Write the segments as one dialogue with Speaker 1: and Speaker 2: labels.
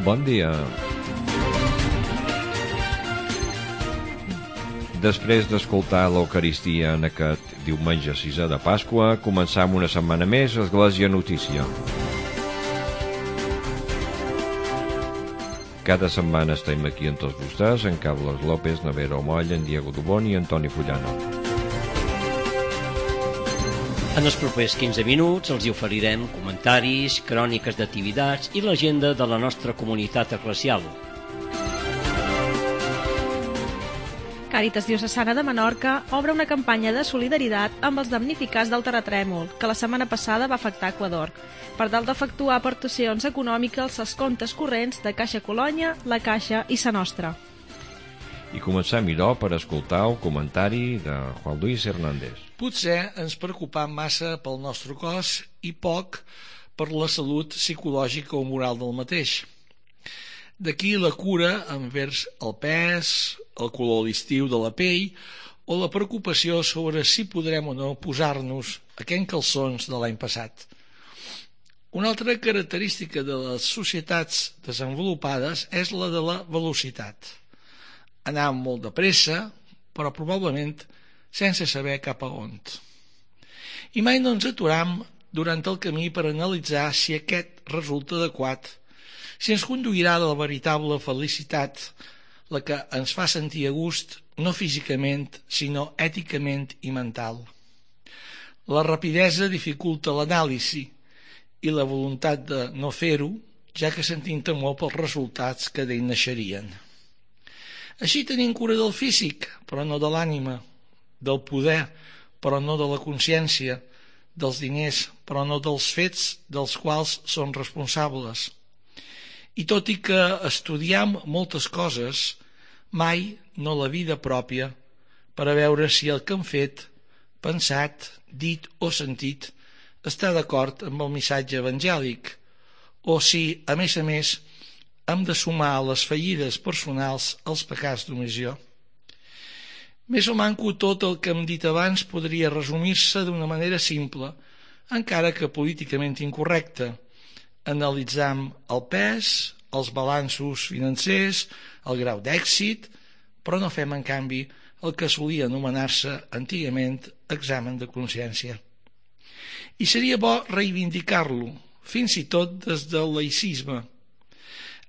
Speaker 1: Bon dia. Després d'escoltar l'Eucaristia en aquest diumenge 6 de Pasqua, començam una setmana més a Església Notícia. Cada setmana estem aquí amb tots vostès, en Carlos López, Navero Moll, en Diego Dubón i Antoni Fullano.
Speaker 2: En els propers 15 minuts els hi oferirem comentaris, cròniques d'activitats i l'agenda de la nostra comunitat eclesial.
Speaker 3: Càritas Diocesana de Menorca obre una campanya de solidaritat amb els damnificats del terratrèmol que la setmana passada va afectar Equador, per tal d'efectuar aportacions econòmiques als comptes corrents de Caixa Colònia, La Caixa i Sa Nostra.
Speaker 1: I comencem, idò, per escoltar el comentari de Juan Luis Hernández.
Speaker 4: Potser ens preocupam massa pel nostre cos i poc per la salut psicològica o moral del mateix. D'aquí la cura envers el pes, el color d'estiu de la pell o la preocupació sobre si podrem o no posar-nos aquells calçons de l'any passat. Una altra característica de les societats desenvolupades és la de la velocitat. Anar molt de pressa, però probablement sense saber cap a on. I mai no ens aturam durant el camí per analitzar si aquest resulta adequat, si ens conduirà a la veritable felicitat, la que ens fa sentir a gust, no físicament, sinó èticament i mental. La rapidesa dificulta l'anàlisi i la voluntat de no fer-ho, ja que sentim temor pels resultats que d'ell naixerien. Així tenim cura del físic, però no de l'ànima, del poder, però no de la consciència, dels diners, però no dels fets dels quals són responsables. I tot i que estudiem moltes coses, mai no la vida pròpia per a veure si el que hem fet, pensat, dit o sentit està d'acord amb el missatge evangèlic o si, a més, hem de sumar a les fallides personals els pecats d'omissió. Més o manco tot el que hem dit abans podria resumir-se d'una manera simple, encara que políticament incorrecta. Analitzam el pes, els balanços financers, el grau d'èxit, però no fem, en canvi, el que solia anomenar-se antigament examen de consciència. I seria bo reivindicar-lo, fins i tot des del laïcisme.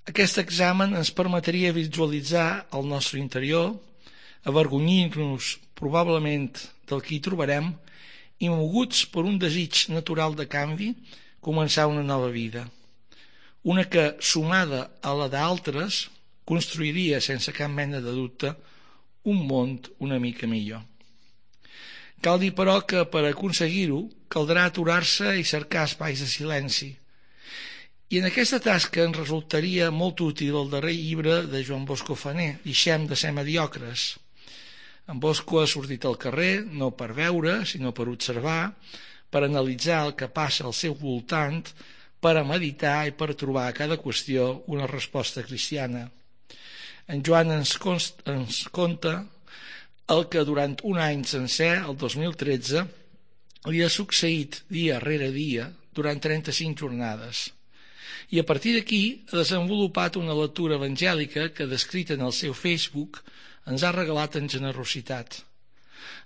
Speaker 4: Aquest examen ens permetria visualitzar el nostre interior, avergonyir-nos probablement del que hi trobarem i, moguts per un desig natural de canvi, començar una nova vida. Una que, sumada a la d'altres, construiria, sense cap mena de dubte, un món una mica millor. Cal dir, però, que per aconseguir-ho caldrà aturar-se i cercar espais de silenci. I en aquesta tasca ens resultaria molt útil el darrer llibre de Joan Bosco Fané, Deixem de ser mediocres. En Bosco ha sortit al carrer, no per veure, sinó per observar, per analitzar el que passa al seu voltant, per a meditar i per trobar a cada qüestió una resposta cristiana. En Joan ens conta el que durant un any sencer, el 2013, li ha succeït dia rere dia durant 35 jornades. I a partir d'aquí ha desenvolupat una lectura evangèlica que, descrita en el seu Facebook, ens ha regalat en generositat.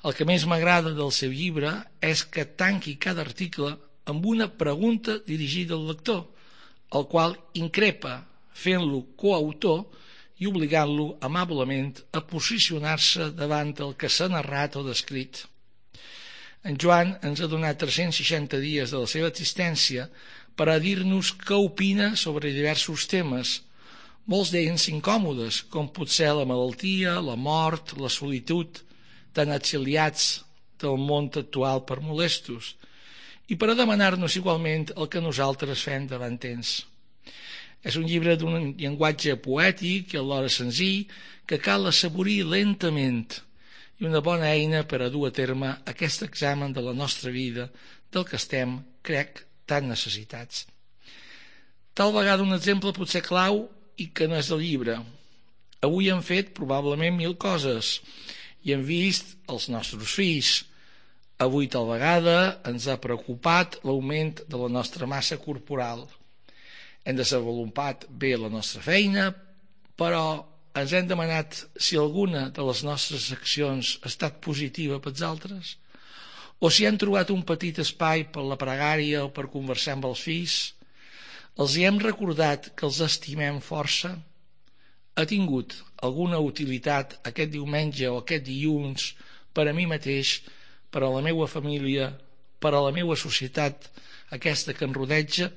Speaker 4: El que més m'agrada del seu llibre és que tanqui cada article amb una pregunta dirigida al lector, el qual increpa, fent-lo coautor i obligant-lo amablement a posicionar-se davant el que s'ha narrat o descrit. En Joan ens ha donat 360 dies de la seva existència per a dir-nos què opina sobre diversos temes, molts d'ells incòmodes, com pot ser la malaltia, la mort, la solitud, tan exiliats del món actual per molestos, i per a demanar-nos igualment el que nosaltres fem davant ells. És un llibre d'un llenguatge poètic i alhora senzill que cal assaborir lentament i una bona eina per a dur a terme aquest examen de la nostra vida del que estem, crec, tan necessitats. Tal vegada un exemple potser clau i que no és del llibre. Avui hem fet probablement 1000 coses i hem vist els nostres fills. Avui tal vegada ens ha preocupat l'augment de la nostra massa corporal. Hem desenvolupat bé la nostra feina, però ens hem demanat si alguna de les nostres accions ha estat positiva pels altres, o si han trobat un petit espai per la pregària o per conversar amb els fills. Els hi hem recordat que els estimem força? Ha tingut alguna utilitat aquest diumenge o aquest dilluns per a mi mateix, per a la meva família, per a la meva societat, aquesta que em rodeja,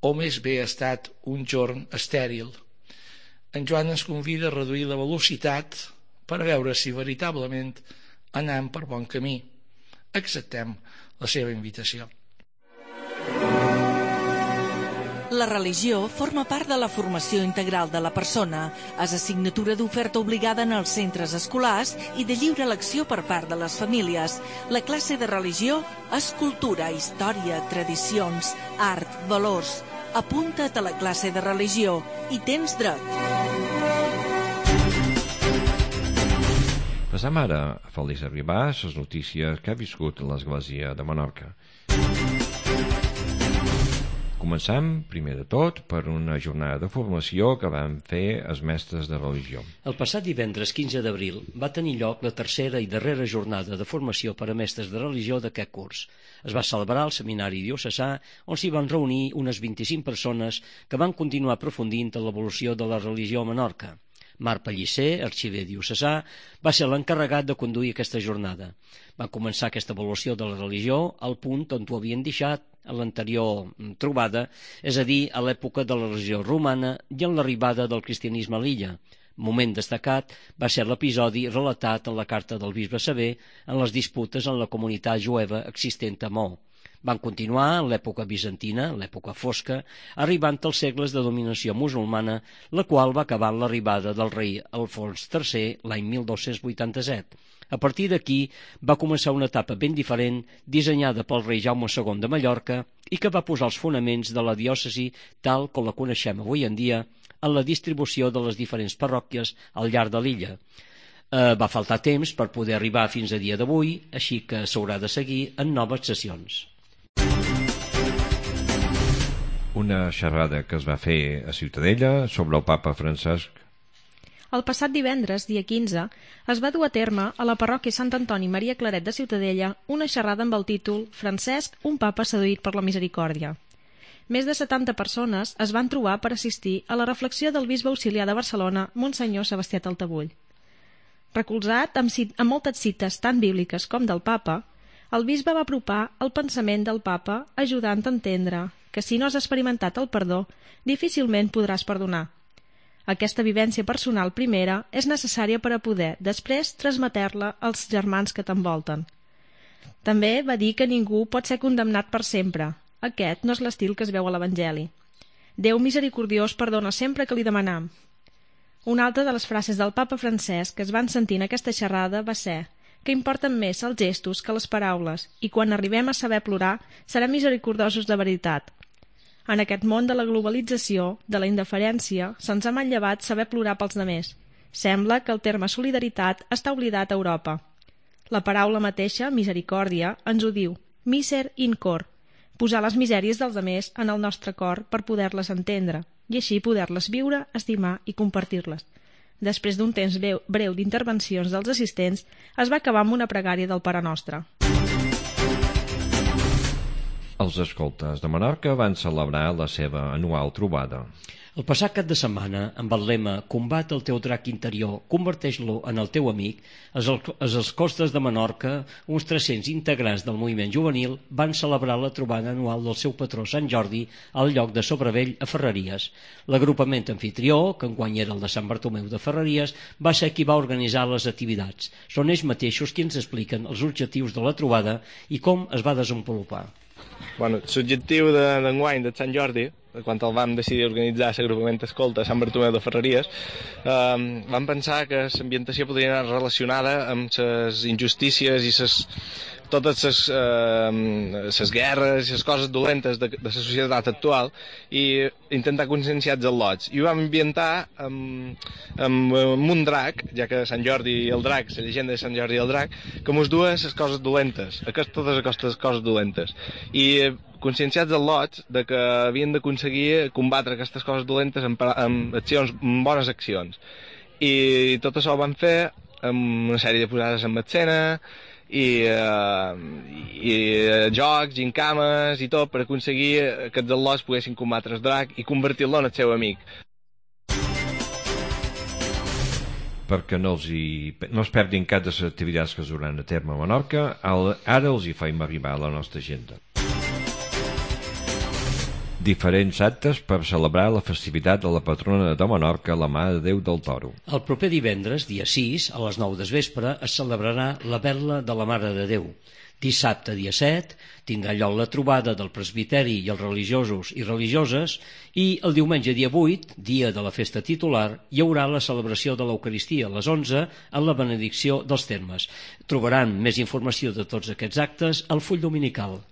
Speaker 4: o més bé ha estat un jorn estèril? En Joan ens convida a reduir la velocitat per veure si veritablement anem per bon camí. Acceptem la seva invitació.
Speaker 5: La religió forma part de la formació integral de la persona. És assignatura d'oferta obligada en els centres escolars i de lliure elecció per part de les famílies. La classe de religió és cultura, història, tradicions, art, valors. Apunta't a la classe de religió i tens dret.
Speaker 1: Passam ara a Feliç Arribàs, les notícies que ha viscut l'Església de Menorca. Començam, primer de tot, per una jornada de formació que van fer els mestres de religió.
Speaker 2: El passat divendres 15 d'abril va tenir lloc la tercera i darrera jornada de formació per a mestres de religió d'aquest curs. Es va celebrar al Seminari Diocesà, on s'hi van reunir unes 25 persones que van continuar aprofundint en l'evolució de la religió a Menorca. Marc Pellicer, arxiver diocesà, va ser l'encarregat de conduir aquesta jornada. Va començar aquesta evolució de la religió al punt on ho havien deixat a l'anterior trobada, és a dir, a l'època de la religió romana i en l'arribada del cristianisme a l'illa. Moment destacat va ser l'episodi relatat en la carta del bisbe Sever en les disputes en la comunitat jueva existent a Mo. Van continuar en l'època bizantina, l'època fosca, arribant als segles de dominació musulmana, la qual va acabar amb l'arribada del rei Alfons III l'any 1287. A partir d'aquí va començar una etapa ben diferent, dissenyada pel rei Jaume II de Mallorca i que va posar els fonaments de la diòcesi tal com la coneixem avui en dia en la distribució de les diferents parròquies al llarg de l'illa. Va faltar temps per poder arribar fins a dia d'avui, així que s'haurà de seguir en noves sessions.
Speaker 1: Una xerrada que es va fer a Ciutadella sobre el papa Francesc.
Speaker 3: El passat divendres, dia 15, es va dur a terme a la parròquia Sant Antoni Maria Claret de Ciutadella una xerrada amb el títol Francesc, un papa seduït per la misericòrdia. Més de 70 persones es van trobar per assistir a la reflexió del bisbe auxiliar de Barcelona, Monsenyor Sebastià Taltabull. Recolzat amb moltes cites tant bíbliques com del papa, el bisbe va apropar el pensament del papa ajudant a entendre que si no has experimentat el perdó, difícilment podràs perdonar. Aquesta vivència personal primera és necessària per a poder, després, transmetre-la als germans que t'envolten. També va dir que ningú pot ser condemnat per sempre. Aquest no és l'estil que es veu a l'Evangeli. Déu misericordiós perdona sempre que li demanam. Una altra de les frases del papa Francesc que es van sentir en aquesta xerrada va ser que importen més els gestos que les paraules i quan arribem a saber plorar serem misericordiosos de veritat. En aquest món de la globalització, de la indiferència, se'ns ha manllevat saber plorar pels demés. Sembla que el terme solidaritat està oblidat a Europa. La paraula mateixa, misericòrdia, ens ho diu, miser in cor, posar les misèries dels demés en el nostre cor per poder-les entendre, i així poder-les viure, estimar i compartir-les. Després d'un temps breu d'intervencions dels assistents, es va acabar amb una pregària del Pare Nostre.
Speaker 1: Els escoltes de Menorca van celebrar la seva anual trobada.
Speaker 2: El passat cap de setmana, amb el lema «Combat el teu drac interior, converteix-lo en el teu amic», els escoltes de Menorca, uns 300 integrants del moviment juvenil, van celebrar la trobada anual del seu patró Sant Jordi al lloc de Sobrevell a Ferreries. L'agrupament anfitrió, que enguany era el de Sant Bartomeu de Ferreries, va ser qui va organitzar les activitats. Són ells mateixos qui ens expliquen els objectius de la trobada i com es va desenvolupar.
Speaker 6: L'objectiu d'enguany de Sant Jordi, quan el vam decidir organitzar l'agrupament escolta a Sant Bartomeu de Ferreries, vam pensar que l'ambientació podria anar relacionada amb les injustícies i les totes les guerres i les coses dolentes de la societat actual i intentar conscienciar els al·lots. I ho vam ambientar amb un drac, ja que Sant Jordi i el drac, la llegenda de Sant Jordi i el drac, que mos duen les coses dolentes, totes aquestes coses dolentes. I conscienciats els lots de que havien d'aconseguir combatre aquestes coses dolentes amb accions, amb bones accions. I tot això ho van fer amb una sèrie de posades en escena i jocs, gincames i tot per aconseguir que els al·lots poguessin combatre el drac i convertir-lo en el seu amic.
Speaker 1: Perquè no es perdin cap de les activitats que es duran a terme a Menorca, ara els hi faim arribar a la nostra agenda. Diferents actes per celebrar la festivitat de la patrona de Menorca, la Mare de Déu del Toro.
Speaker 2: El proper divendres, dia 6, a les 9 del vespre, es celebrarà la Perla de la Mare de Déu. Dissabte, dia 7, tindrà lloc la trobada del presbiteri i els religiosos i religioses i el diumenge, dia 8, dia de la festa titular, hi haurà la celebració de l'Eucaristia a les 11 en la benedicció dels termes. Trobaran més informació de tots aquests actes al full dominical.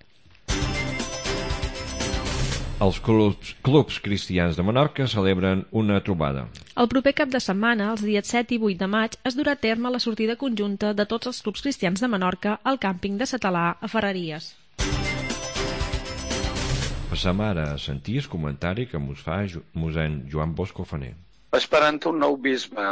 Speaker 1: Els clubs cristians de Menorca celebren una trobada.
Speaker 3: El proper cap de setmana, els dies 7 i 8 de maig, es durà a terme la sortida conjunta de tots els clubs cristians de Menorca al càmping de Satalà, a Ferreries.
Speaker 1: Passam ara a sentir el comentari que mos fa mossèn Joan Bosco Faner.
Speaker 7: Esperant un nou bisbe,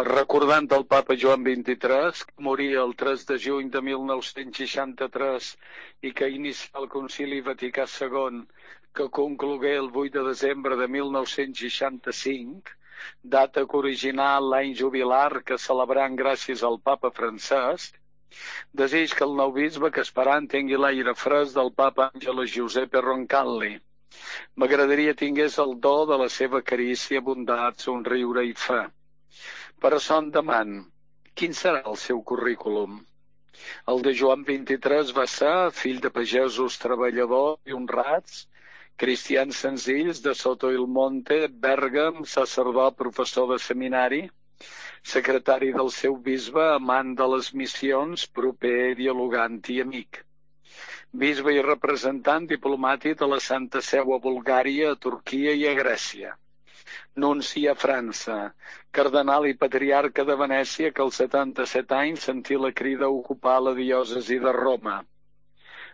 Speaker 7: recordant el papa Joan XXIII, que moria el 3 de juny de 1963 i que inicià el Concili Vaticà II, que conclogué el 8 de desembre de 1965, data que originà l'any jubilar que celebrant gràcies al papa Francesc, desig que el nou bisbe que esperant tingui l'aire fresc del papa Angelo Giuseppe Roncalli. M'agradaria tingués el do de la seva carícia, bondat, somriure i fe. Per això en deman, quin serà el seu currículum? El de Joan XXIII va ser fill de pagesos treballadors i honrats, cristians senzills de Soto il Monte, Bèrgam, sacerdot, professor de seminari, secretari del seu bisbe, amant de les missions, proper, dialogant i amic. Bisbe i representant diplomàtic de la Santa Seu a Bulgària, a Turquia i a Grècia. Nunci a França, cardenal i patriarca de Venècia que als 77 anys sentí la crida a ocupar la diòcesi de Roma.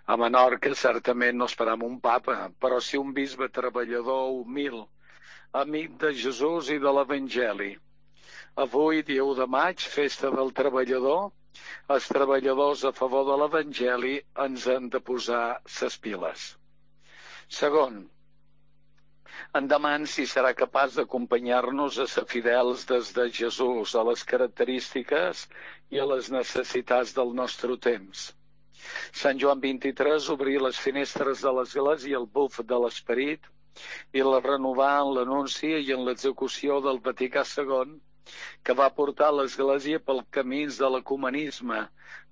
Speaker 7: A Menorca certament no esperam un papa, però sí un bisbe treballador, humil, amic de Jesús i de l'Evangeli. Avui, dia 1 de maig, festa del treballador, els treballadors a favor de l'Evangeli ens han de posar ses piles. Segon, en deman si serà capaç d'acompanyar-nos a ser fidels des de Jesús, a les característiques i a les necessitats del nostre temps. Sant Joan XXIII obrí les finestres de l'església i el buf de l'esperit i la renovà en l'anunci i en l'execució del Vaticà II, que va portar l'església pel camins de l'ecumenisme,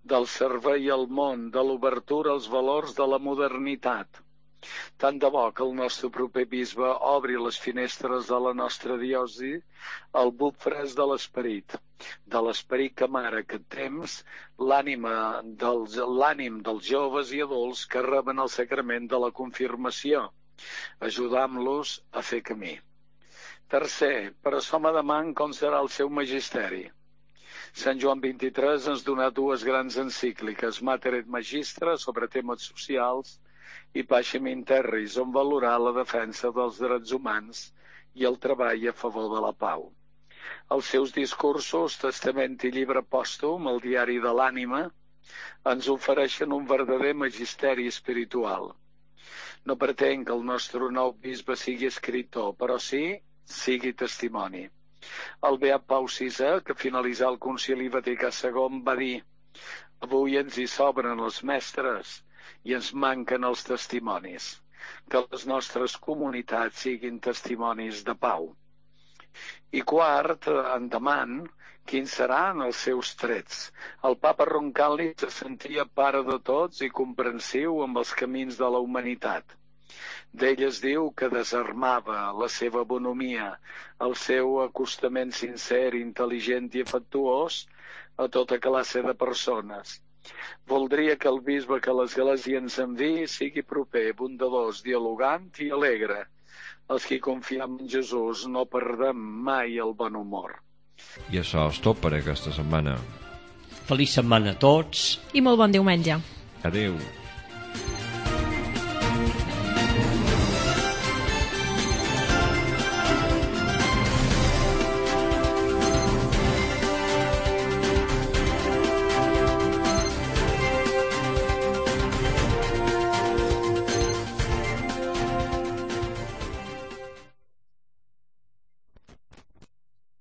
Speaker 7: del servei al món, de l'obertura als valors de la modernitat. Tant de bo que el nostre proper bisbe obri les finestres de la nostra diòcesi al buf fresc de l'esperit que amara aquest temps, l'ànim dels joves i adults que reben el sacrament de la confirmació, ajudant-los a fer camí. Tercer, per això me deman com serà el seu magisteri. Sant Joan XXIII ens donà dues grans encícliques, Mater et Magistra, sobre temes socials, i Pacem in Terris, on valorar la defensa dels drets humans i el treball a favor de la pau. Els seus discursos, Testament i llibre pòstum, el diari de l'ànima, ens ofereixen un verdader magisteri espiritual. No pretenc que el nostre nou bisbe sigui escriptor, però sí sigui testimoni. El beat Pau VI, que finalitzà el Concili Vaticà II, va dir: avui ens hi sobren els mestres i ens manquen els testimonis. Que les nostres comunitats siguin testimonis de pau. I quart, en deman, quins seran els seus trets. El papa Roncalli se sentia pare de tots i comprensiu amb els camins de la humanitat. D'ell es diu que desarmava la seva bonomia, el seu acostament sincer, intel·ligent i afectuós a tota classe de persones. Voldria que el bisbe que l'Església ens enviï sigui proper, bondadós, dialogant i alegre. Els que confiem en Jesús no perdem mai el bon humor.
Speaker 1: I això és tot per aquesta setmana.
Speaker 2: Feliç setmana a tots.
Speaker 3: I molt bon diumenge.
Speaker 1: Adéu.